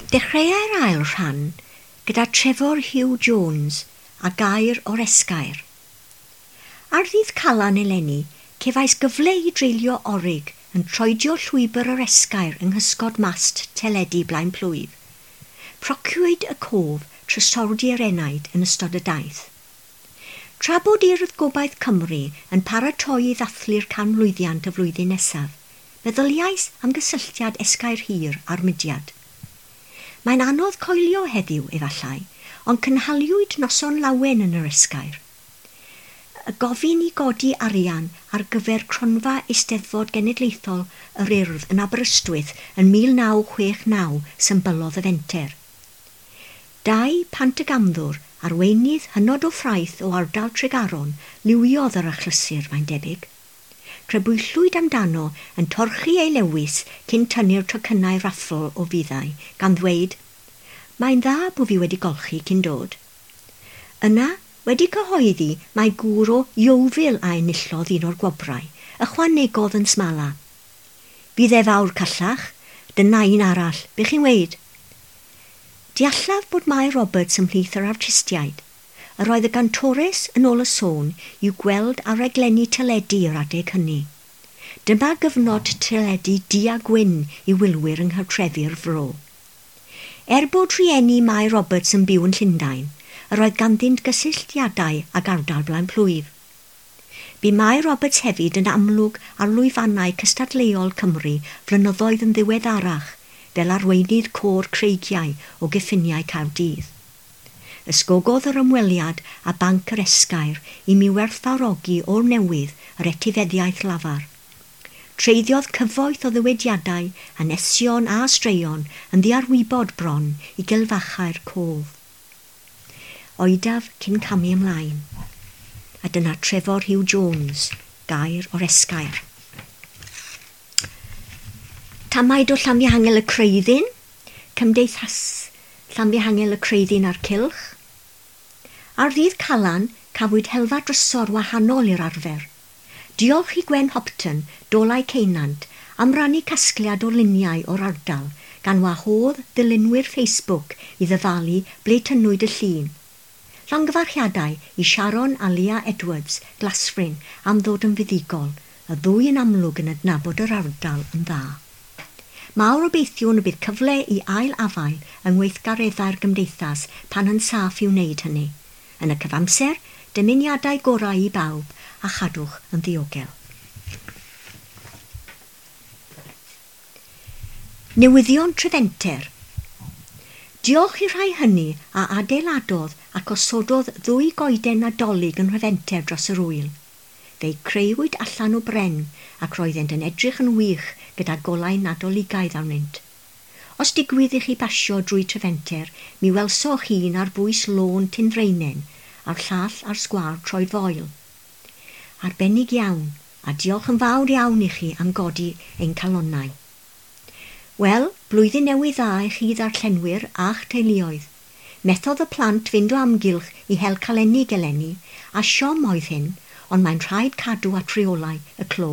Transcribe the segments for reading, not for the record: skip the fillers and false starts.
Dechreuai'r ail rhan gyda Trefor Hugh Jones a gair o'r esgair. Ar ddydd Calan eleni, cefais gyfle i dreulio orig yn troedio llwybr yr esgair yng nghysgod mast teledu blaen plwyf. Prociwyd y cof trysordi yr enaid yn ystod y daith. Tra bod Urdd Gobaith Cymru yn paratoi i ddathlu'r canmlwyddiant y flwyddyn nesaf, meddyliais am gysylltiad esgair hir a'r mudiad. Mae'n anodd coelio heddiw, efallai, ond cynhaliwyd noson lawen yn yr esgair. Y gofyn i godi arian ar gyfer cronfa Eisteddfod Genedlaethol yr Urdd yn Aberystwyth yn 1969 symbylodd y fenter. Dau Pantygamddwr, arweinydd hynod o ffraeth o ardal Tregaron, liwiodd yr achlysur, mae'n debyg. Crybwyllwyd amdano yn torchi ei lewis cyn tynnu'r tocynnau raffl o fuddai, gan ddweud, Mae'n dda bo fi wedi golchi cyn dod. Yna, wedi cyhoeddi mae gŵr o Yeovil a enillodd un o'r gwobrau, ychwanegodd yn smala. Fydd e fawr callach, dyna un arall, be chi'n weud? Deallaf bod Mai Roberts ymhlith yr artistiaid. Yr oedd y gantores yn ôl y sôn i'w gweld ar raglenni teledu yr adeg hynny. Dyma gyfnod teledu du a gwyn i wylwyr yng nghartrefi'r fro. Er bod rhieni Mai Roberts yn byw yn Llundain, yr oedd ganddynt gysylltiadau ag ardal blaen plwyf. Bu Mai Roberts hefyd yn amlwg ar lwyfannau cystadleuol Cymru flynyddoedd yn ddiweddarach fel arweinydd côr Creigiau o gyffiniau Caerdydd. Ysgogodd yr ymweliad a Banc yr Esgair i mi werthfawrogi o'r newydd yr etifeddiaeth lafar. Treiddiodd cyfoeth o ddywediadau, hanesion a straeon yn ddiarwybod bron i gilfachau'r cof. Oedaf cyn camu ymlaen. A dyna Trefor Hugh Jones, gair o'r esgair. Tamaid o Llanfihangel y Creuddyn, Cymdeithas Llanfihangel y Creuddyn a'r Cylch. Ar ddydd Calan, cafwyd helfa drysor wahanol i'r arfer. Diolch i Gwen Hopton, Dolau Ceunant, am rannu casgliad o luniau o'r ardal, gan wahodd ddilynwyr Facebook i ddyfalu ble tynnwyd y llun. Llongyfarchiadau i Sharon a Leah Edwards, Glasfryn, am ddod yn fuddugol, y ddwy yn amlwg yn adnabod yr ardal yn dda. Mawr obeithiwn y bydd cyfle i ail afael yng ngweithgareddau'r gymdeithas pan yn saff i wneud hynny. Yn y cyfamser, dymuniadau gorau i bawb a chadwch yn ddiogel. Newyddion Trefenter. Diolch i'r rhai hynny a adeiladodd ac osododd ddwy goeden Nadolig yn Nhrefenter dros yr ŵyl. Fe'i creuwyd allan o bren ac roeddent yn edrych yn wych gyda golau Nadoligaidd arnynt. Os digwydd i chi basio drwy Trefenter, mi welsoch un ar bwys lôn Tinfreinen a'r llall ar sgwâr Troedfoel. Arbennig iawn, a diolch yn fawr iawn i chi am godi ein calonnau. Wel, blwyddyn newydd dda i chi ddarllenwyr a'ch teuluoedd. Methodd y plant fynd o amgylch i hel calennig eleni, a siom oedd hyn, ond mae'n rhaid cadw at reolau y clo.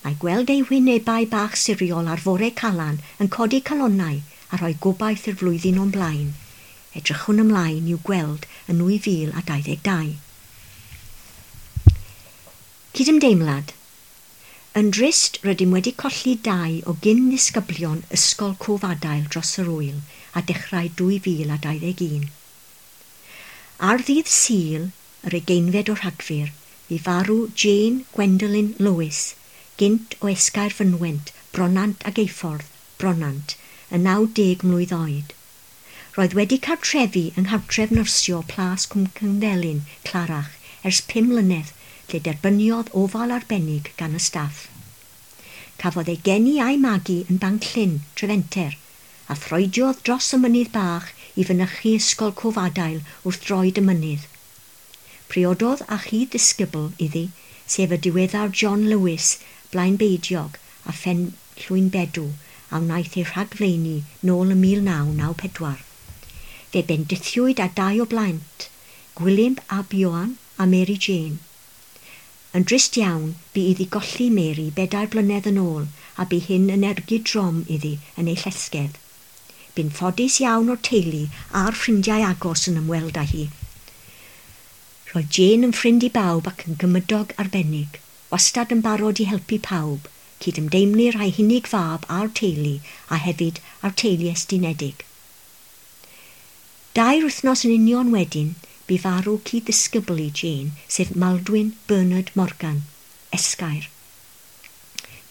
Mae gweld eu hwynebau bach siriol ar fore Calan yn codi calonnau a rhoi gobaith i'r flwyddyn o'n blaen. Edrychwn ymlaen i'w gweld yn 2022. Cydymdeimlad. Yn drist, rydym wedi colli dau o gyn ddisgyblion Ysgol Cofadail dros yr ŵyl a dechrau 2021. Ar ddydd Sul, yr ugeinfed o Rhagfyr, bu farw Jane Gwendolyn Lewis, gynt o Esgair Fynwent, Bronant ag Eiffordd, Bronant, yn 90 mlwydd oed. Roedd wedi cartrefu yng nghartref nyrsio Plas Cwm Cynddelyn, Clarach, ers 5 mlynedd, lle derbyniodd ofal arbennig gan y staff. Cafodd ei geni a'i magu yn Banc Llyn, Trefenter, a throediodd dros y mynydd bach i fynychu ysgol Cofadail wrth droed y mynydd. Priododd â chyd-ddisgybl iddi, sef y diweddar John Lewis, Blaenbeidiog a Phen Llwynbedw, a wnaeth ei rhagflaenu nôl ym 1994. Fe bendithiwyd â dau o blant, Gwilym ab Ioan a Mary Jane. Yn drist iawn, bu iddi golli Mary 4 blynedd yn ôl a bu hyn yn ergyd drom iddi yn ei llesgedd. Bu'n ffodus iawn o'r teulu a'r ffrindiau agos yn ymweld â hi. Roedd Jane yn ffrind i bawb ac yn gymydog arbennig, wastad yn barod i helpu pawb, cydymdeimlir â'i hunig fab a'r teulu a hefyd â'r teulu estynedig. Dair wythnos yn union wedyn, bu farw cyd-ddisgybl i Jane, sef Maldwyn Bernard Morgan, Esgair.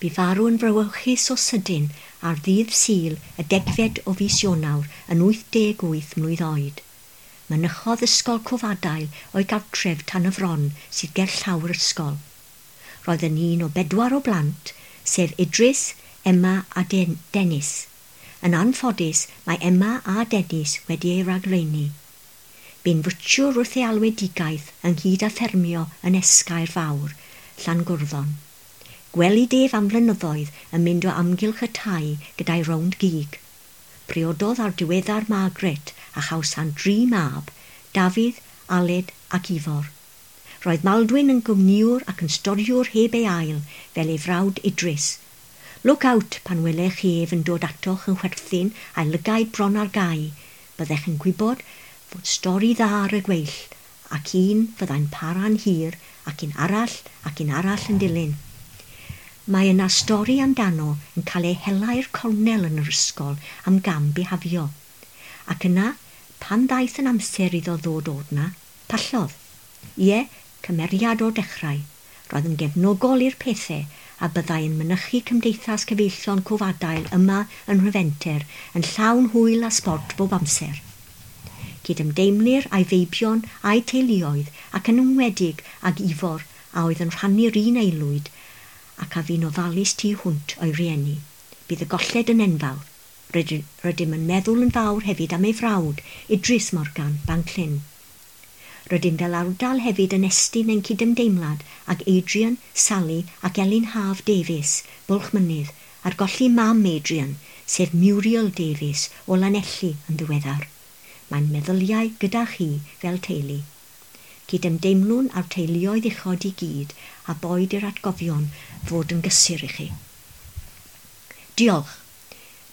Bu farw yn frawychus o sydyn ar ddydd Sul y degfed o fis Ionawr yn 88 mlwydd oed. Mynychodd ysgol Cofadail o'i gartref tan y fron sydd ger llawr ysgol. Roedd yn un o bedwar o blant, sef Idris, Emma a Den Dennis. Yn anffodus, mae Emma a Dennis wedi ei ragflaenu. Bu'n fwtsiwr wrth ei alwedigaeth ynghyd â ffermio yn Esgair Fawr, Llangwrddon. Gwelid ef am flynyddoedd yn mynd o amgylch y tai gyda'i rownd gig. Priododd ar diweddar Margaret a chawsant dri mab, Dafydd, Aled ac Ifor. Roedd Maldwyn yn gwmnïwr ac yn storiwr heb ei ail, fel ei frawd Idris. Look out pan welech chi ef yn dod atoch yn chwerthin a'i lygaid bron ar gau, byddech yn gwybod fod stori dda ar y gweill, ac un fyddai'n para'n hir, ac un arall, ac un arall yn dilyn. Mae yna stori amdano yn cael ei hela i'r cornel yn yr ysgol am gam bihafio. Ac yna, pan ddaeth yn amser iddo ddod o'r 'na, pallodd. Ie, cymeriad o'r dechrau. Roedd yn gefnogol i'r pethau a byddai yn mynychu Cymdeithas Cyfeillion Cofadail yma yn Nhrefenter yn llawn hwyl a sbort bob amser. Cydymdeimlir â'i feibion a'i teuluoedd ac yn enwedig ag Ifor a oedd yn rhannu'r un aelwyd ac a fu'n ofalus tu hwnt o'i rieni. Bydd y golled yn enfawr. Rydym yn meddwl yn fawr hefyd am ei frawd, Idris Morgan, Banclyn. Rydym fel ardal hefyd yn estyn ein cydymdeimlad ag Adrian, Sally ac Elin Haf Davies, Bwlchmynydd, ar golli mam Adrian, sef Muriel Davies o Lanelli yn ddiweddar. Mae'n meddyliau gyda chi fel teulu. Cydymdeimlwn â'r teuluoedd uchod i gyd a boed i'r atgofion fod yn gysur i chi. Diolch.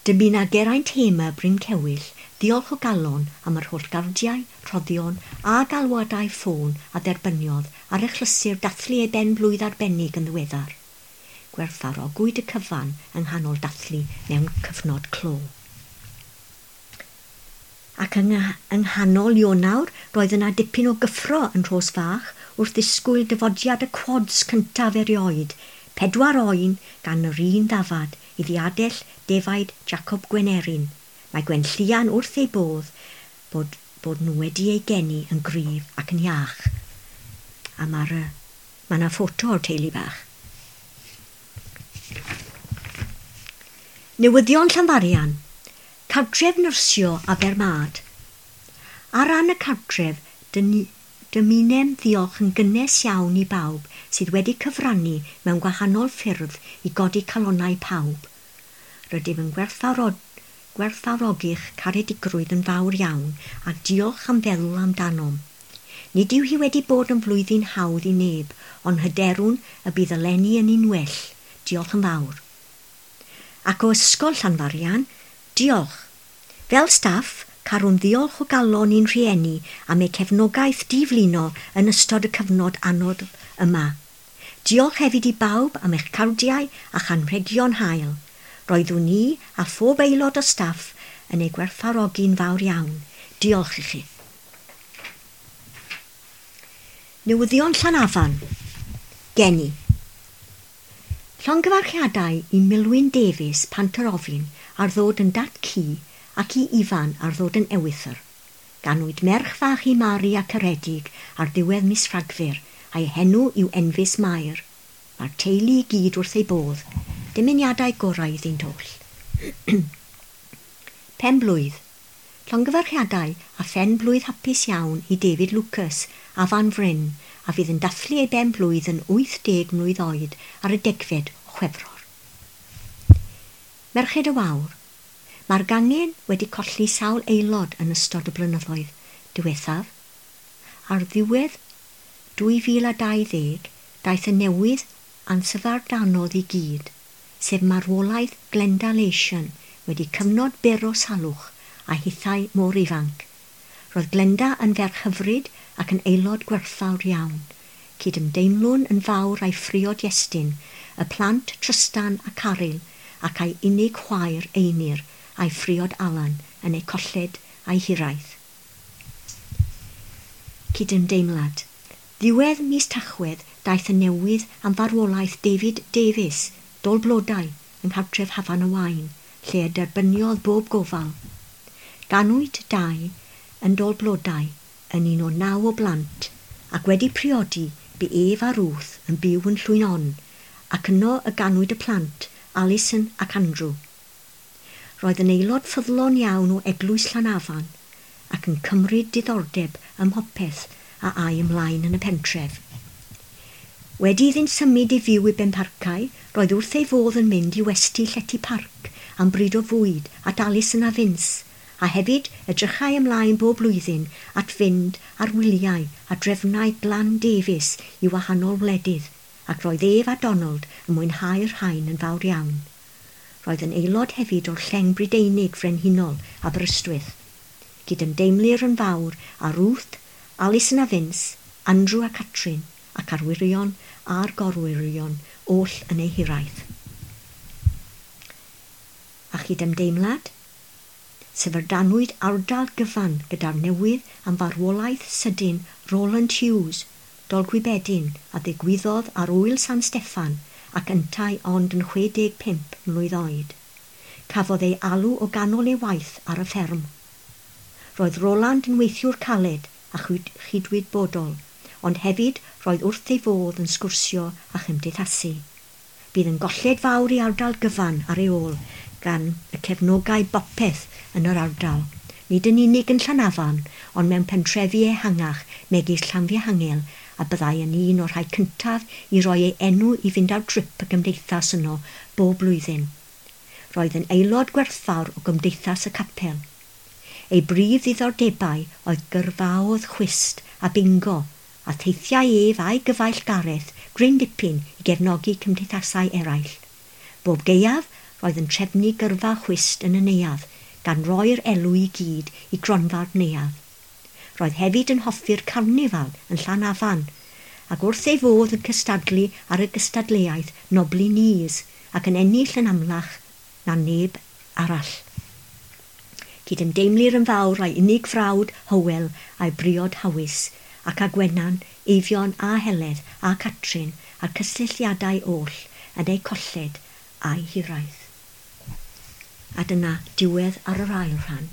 Dymuna Geraint Hamer Bryn Cewyll ddiolch o galon am yr holl gardiau, rhoddion a galwadau ffôn a dderbyniodd ar achlysur dathlu ei ben blwydd arbennig yn ddiweddar. Gwerthfawrogwyd y cyfan yng nghanol dathlu mewn cyfnod clo. Ac yng, yng nghanol Ionawr roedd yna dipyn o gyffro yn Rhos Fach wrth ddisgwyl dyfodiad y quads cyntaf erioed, pedwar oen gan yr un ddafad i ddiadell defaid Jacob Gwenerin. Mae Gwenllian wrth ei bodd bod, bod nhw wedi ei geni yn gryf ac yn iach. A mae'r, mae yna ffoto o'r teulu bach. Newyddion Llanfarian. Cartref nyrsio Abermad. Ar ran y cartref, dymunem ddiolch yn gynnes iawn i bawb sydd wedi cyfrannu mewn gwahanol ffyrdd i godi calonnau pawb. Rydym yn gwerthfawrogi'ch caredigrwydd yn fawr iawn a diolch am feddwl amdanom. Nid yw hi wedi bod yn flwyddyn hawdd i neb, ond hyderwn y bydd eleni yn un well. Diolch yn fawr. Ac o Ysgol Llanfarian, diolch. Fel staff, carwn ddiolch o galon i'n rhieni am eu cefnogaeth diflino yn ystod y cyfnod anodd yma. Diolch hefyd i bawb am eich cardiau a chanrhegion hael. Roeddwn ni a phob aelod o staff yn ei gwerthfawrogi'n fawr iawn. Diolch i chi. Newyddion Llanafan. Geni. Llongyfarchiadau i Milwyn Davies Pantarofin ar ddod yn dat ci ac i Ifan ar ddod yn ewythr. Ganwyd merch fach i Mari a Ceredig ar ddiwedd mis Rhagfyr a'i henw yw Enfys Mair. Mae'r teulu i gyd wrth ei bodd. Dymuniadau gorau iddynt oll. Pen blwydd. Llongyfarchiadau a phen blwydd hapus iawn i David Lucas a Fan Fryn a fydd yn dathlu ei ben blwydd yn 80 mlwydd oed ar y degfed o Chwefror. Merched y Wawr. Mae'r gangen wedi colli sawl aelod yn ystod y blynyddoedd diwethaf. Ar ddiwedd 2020, daeth y newydd ansyfardanodd i gyd, sef marwolaeth Glenda Lation wedi cyfnod byr o salwch a hithau mor ifanc. Roedd Glenda yn ferch hyfryd ac yn aelod gwerthfawr iawn. Cydymdeimlwn yn fawr a'i phriod Iestyn, y plant Trystan a Caryl ac a'i unig chwaer Einir a'i phriod Alan yn eu colled a'i hiraeth. Cydymdeimlad. Ddiwedd mis Tachwedd daeth y newydd am farwolaeth David Davies, Dol Blodau, yng nghartref Hafan y Waun, lle y derbyniodd bob gofal. Ganwyd Dai yn Dol Blodau yn un o 9 o blant, ac wedi priodi bu ef a Ruth yn byw yn Llwyn Onn, ac yno y ganwyd y plant, Alison ac Andrew. Roedd yn aelod ffyddlon iawn o Eglwys Llanafan ac yn cymryd diddordeb ym mhopeth a ai ymlaen yn y pentref. Wedi iddynt symud i fyw i Benparcau, roedd wrth ei fodd yn mynd i westy Llety Parc am bryd o fwyd at Alison a Vince, a hefyd edrychai ymlaen bob blwyddyn at fynd ar wyliau a drefnau Glan Davies i wahanol wledydd, ac roedd ef a Donald yn mwynhau'r rhain yn fawr iawn. Roedd yn aelod hefyd o'r Lleng Brydeinig Frenhinol Aberystwyth. Cydymdeimlir yn fawr â Ruth, Alison a Vince, Andrew a Catrin, ac arwyrion a'r gorwyrion oll yn eu hiraeth. A chydymdeimlad? Syfrdanwyd ardal gyfan gyda'r newydd am farwolaeth sydyn Roland Hughes, Dolgwybedyn, a ddigwyddodd ar ŵyl San Steffan ac yntau ond yn 65 mlwydd oed. Cafodd ei alw o ganol ei waith ar y fferm. Roedd Roland yn weithiwr caled a chydwybodol, ond hefyd roedd wrth ei fodd yn sgwrsio a chymdeithasu. Bydd yn golled fawr i ardal gyfan ar ei ôl gan y cefnogau bopeth yn yr ardal, nid yn unig yn Llanafan, ond mewn pentrefi ehangach megis Llanfihangel, a byddai yn un o'r rhai cyntaf i roi ei enw i fynd ar drip y gymdeithas yno bob blwyddyn. Roedd yn aelod gwerthfawr o gymdeithas y capel. Ei brif ddiddordebau oedd gyrfaodd chwist a bingo, a theithiau ef a'i gyfaill Gareth gryn dipyn i gefnogi cymdeithasau eraill. Bob gaeaf roedd yn trefnu gyrfa chwist yn y neuadd, gan roi'r elw i gyd i gronfa'r neuadd. Roedd hefyd yn hoffi'r carnifal yn Llanafan, ac wrth ei fodd yn cystadlu ar y gystadleuaeth Nobly Knees ac yn ennill yn amlach na neb arall. Cydymdeimlir yn fawr a'i unig frawd Hywel a'i briod Hawys, ac â Gwenan, Eifion a Heledd a Catrin a'r cysylltiadau oll yn eu colled a'i hiraeth. A dyna diwedd ar yr ail rhan.